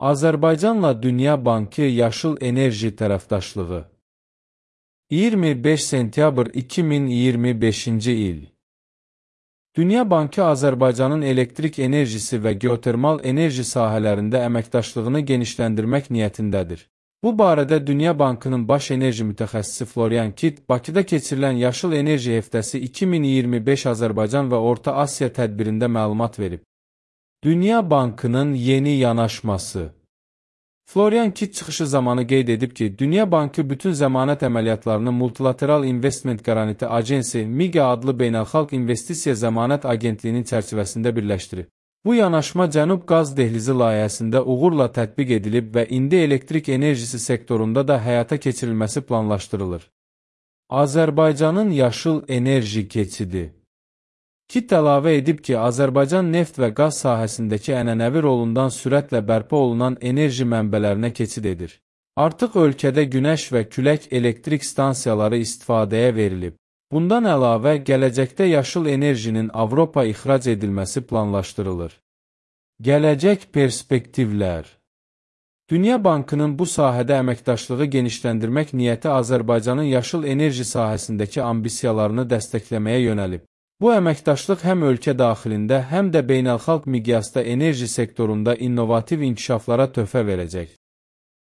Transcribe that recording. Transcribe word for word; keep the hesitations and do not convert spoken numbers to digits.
Azərbaycanla Dünya Bankı Yaşıl Enerji Tərəfdaşlığı iyirmi beş sentyabr iki min iyirmi beşinci il Dünya Bankı Azərbaycanın elektrik enerjisi və geotermal enerji sahələrində əməkdaşlığını genişləndirmək niyyətindədir. Bu barədə Dünya Bankının baş enerji mütəxəssisi Florian Kitt, Bakıda keçirilən Yaşıl Enerji Həftəsi iki min iyirmi beş Azərbaycan və Orta Asiya tədbirində məlumat verib. Dünya Bankının yeni yanaşması Florian Kitt çıxışı zamanı qeyd edib ki, Dünya Bankı bütün zəmanət əməliyyatlarını Multilateral Investment Guarantee Agency (MIGA) adlı beynəlxalq investisiya zəmanət agentliyinin çərçivəsində birləşdirib. Bu yanaşma Cənub Qaz Dehlizi layihəsində uğurla tətbiq edilib və indi elektrik enerjisi sektorunda da həyata keçirilməsi planlaşdırılır. Azərbaycanın yaşıl enerji keçidi Kitt əlavə edib ki, Azərbaycan neft və qaz sahəsindəki ənənəvi rolundan sürətlə bərpa olunan enerji mənbələrinə keçid edir. Artıq ölkədə günəş və külək elektrik stansiyaları istifadəyə verilib. Bundan əlavə, gələcəkdə yaşıl enerjinin Avropa ixrac edilməsi planlaşdırılır. Gələcək perspektivlər Dünya Bankının bu sahədə əməkdaşlığı genişləndirmək niyyəti Azərbaycanın yaşıl enerji sahəsindəki ambisiyalarını dəstəkləməyə yönəlib. Bu əməkdaşlıq həm ölkə daxilində, həm də beynəlxalq miqyasda enerji sektorunda innovativ inkişaflara töhfə verəcək.